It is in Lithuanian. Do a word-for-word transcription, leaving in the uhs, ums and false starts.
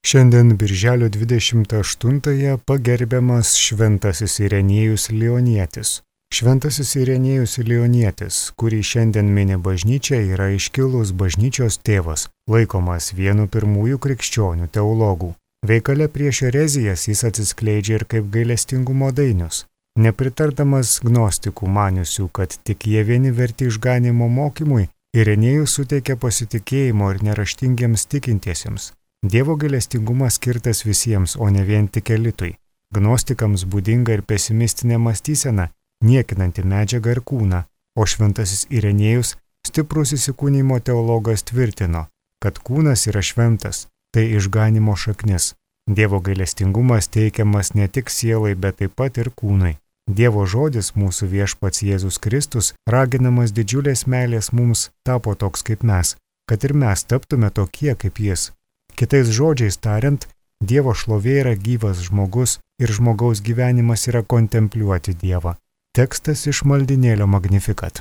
Šiandien birželio dvidešimt aštuntąją pagerbiamas Šventasis Irenėjus Lionietis. Šventasis Irenėjus Lionietis, kurį šiandien mini bažnyčia, yra iškilus bažnyčios tėvas, laikomas vienu pirmųjų krikščionių teologų. Veikale prieš erezijas jis atsiskleidžia ir kaip gailestingumo dainius. Nepritardamas gnostikų maniusių, kad tik jie vieni verti išganimo mokymui, Irenėjus suteikia pasitikėjimo ir neraštingiems tikintiesiems. Dievo gailestingumas skirtas visiems, o ne vien tik elitui. Gnostikams būdinga ir pesimistinė mąstysena, niekinanti medžiagą ir kūną, o šventasis Irenėjus, stiprus įsikūnymo teologas, tvirtino, kad kūnas yra šventas, tai išganimo šaknis. Dievo gailestingumas teikiamas ne tik sielai, bet taip pat ir kūnui. Dievo žodis, mūsų viešpats Jėzus Kristus, raginamas didžiulės meilės mums, tapo toks kaip mes, kad ir mes taptume tokie kaip jis. Kitais žodžiais tariant, Dievo šlovė yra gyvas žmogus ir žmogaus gyvenimas yra kontempliuoti Dievą. Tekstas iš maldynėlio Magnificat.